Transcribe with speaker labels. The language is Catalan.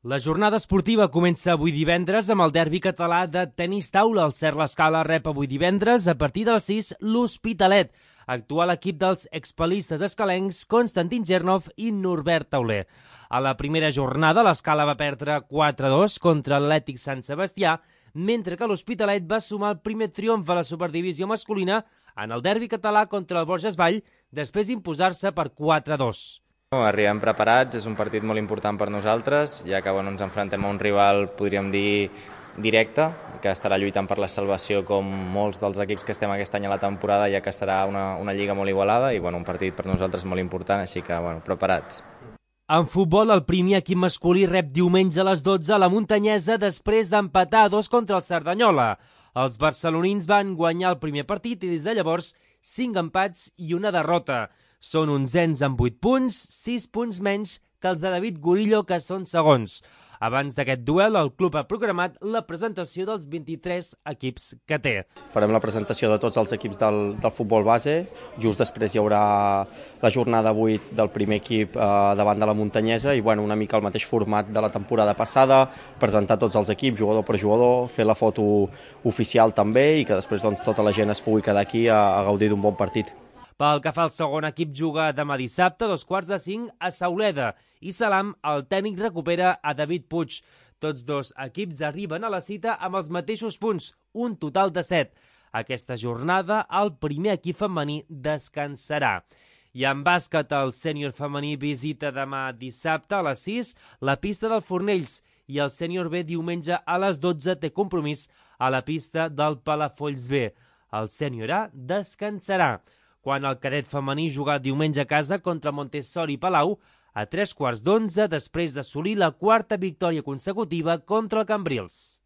Speaker 1: La jornada esportiva comença avui divendres amb el derbi català de tenis taula. El Cert l'Escala rep avui divendres a partir de les 6 l'Hospitalet, actual equip dels expel·listes escalencs Konstantin Gernov i Norbert Tauler. A la primera jornada l'Escala va perdre 4-2 contra l'Atlètic Sant Sebastià, mentre que l'Hospitalet va sumar el primer triomf a la superdivisió masculina en el derbi català contra el Borges Vall, després d'imposar-se per 4-2.
Speaker 2: Arribem preparats, és un partit molt important per nosaltres, ja que ens enfrontem a un rival, podríem dir, directe, que estarà lluitant per la salvació com molts dels equips que estem aquest any a la temporada, ja que serà una lliga molt igualada i un partit per nosaltres molt important, així que preparats.
Speaker 1: En futbol, el primer equip masculí rep diumenge a les 12 a la Muntanyesa després d'empatar 2 contra el Cerdanyola. Els barcelonins van guanyar el primer partit i des de llavors 5 empats i una derrota. Són onzens amb 8 punts, 6 punts menys que els de David Gorillo, que són segons. Abans d'aquest duel, el club ha programat la presentació dels 23 equips que té.
Speaker 3: Farem la presentació de tots els equips del futbol base. Just després hi haurà la jornada 8 del primer equip davant de la Muntanyesa i una mica el mateix format de la temporada passada, presentar tots els equips, jugador per jugador, fer la foto oficial també i que després tota la gent es pugui quedar aquí a gaudir d'un bon partit.
Speaker 1: Pel que fa al segon equip, juga demà dissabte, 4:45, a Sauleda. I Salam, el tècnic, recupera a David Puig. Tots dos equips arriben a la cita amb els mateixos punts, un total de 7. Aquesta jornada, el primer equip femení descansarà. I en bàsquet, el sènior femení visita demà dissabte a les 6 la pista del Fornells i el sènior B diumenge a les 12 té compromís a la pista del Palafolls B. El sènior A descansarà. Quan el cadet femení juga diumenge a casa contra Montessori Palau a 3:15 després d'assolir la quarta victòria consecutiva contra el Cambrils.